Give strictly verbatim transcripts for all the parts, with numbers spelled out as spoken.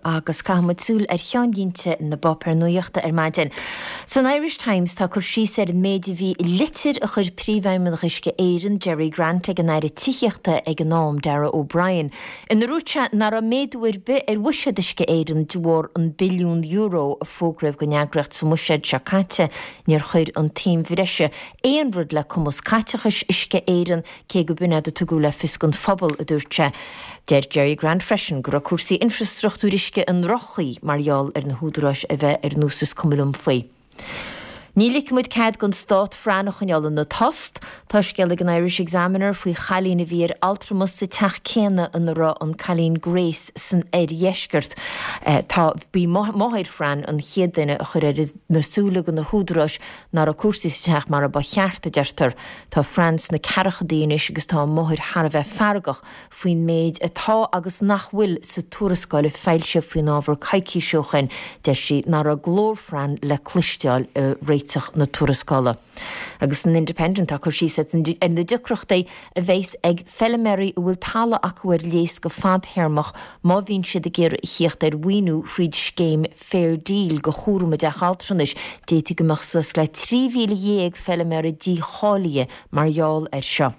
agus caithfimid súil ar cheannlínte na bpáipéar nuachta ar maidin. San Irish Times tá cur síos ar an méid a bhí i litir a chuir Príomhfheidhmeannach Uisce Éireann Gerry Grant ag an Aire Tithíochta ag an am Darragh O'Brien. Ina ndúirt sé nach raibh méadú ar bith ar bhuiséad Uisce Éireann de bharr an billiún euro a fógraíodh don eagraíocht sa mbuiséad seo caite níor chuir an tsuim bhreise aon rud le cumas caiteachais Uisce Éireann cé go b'in a tugadh le fios don phobal a dúirt sé. Deir Gerry Grant freisin go raibh cúrsaí infrastruchtúr uisce i ndroch-chaoi mar gheall ar na húdaráis a bheith ar nós is cuma liom faoi. Ní ligfimid cead don stát Fran a choinneáil ina tost, Tá scéal ag an Irish Examiner faoi chailín a bhí ar altramas sa teach céanna ina raibh an cailín Grace san oirdheisceart. Eh, tá b'í máthair Fran an chéad duine a chuir ar na súile do na húdaráis nach raibh cúrsaí sa teach mar a ba cheart a deirtear. Tá Fran sna ceathrachaidí anois agus tá a máthair thar a bheith feargach faoin méid atá agus nach bhfuil sa tuarascáil a foilsíodh faoin ábhar coicís ó shin, deir sí nach raibh glór Fran le cloisteáil i réiteach na tuarascála. Agus san Independent tá cur síos ar na deacrachtaí a bheas ag feilméaraí a bhfuil talamh acu ar léas go fadtéarmach má bhíonn siad ag iarraidh a theacht ar mhaoiniú thríd scéim Fair Deal do chúram i dteach altranais, d'fhéadfadh go mbeadh suas le trí mhíle dhéag feilméara dícháilithe mar gheall air seo.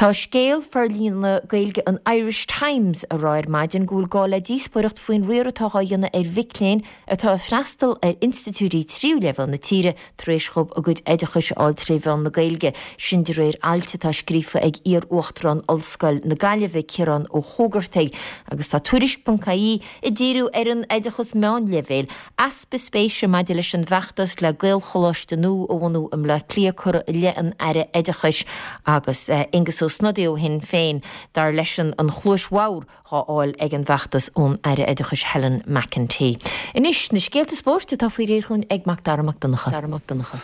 Tá scéal forlíonadh Gaeilge an Irish Times ag rá ar maidin go bhfuil gá le díospóireacht faoin riar atá á dhéanamh ar mhic léinn atá ag freastal ar institiúidí tríú leibhéal na tíre tar éis dóibh a gcuid oideachais a fháil tré mheán na Gaeilge, sin de réir ailt atá scríofa ag iar-uachtarán Ollscoil na Gaillimhe Ciarán Ó hÓgartaigh agus tá tuairisc.ie ag díriú ar an oideachas meánleibhéil, easpa spéise maidir leis an bhfeachtas le Gaelcholáiste nua a bhunú i mBleá Cliath curtha i leith an Aire Oideachais agus Aengus Ó Snodaigh ó Shinn Féin dar leis an an chluais bhodhar á fháil ag an bhfeachtas ón Aire Oideachais Helen McEntee. Anois na scéalta spóirt atá faoi réir ag Mac Dara Mac Donncha. Dara Mac Donncha.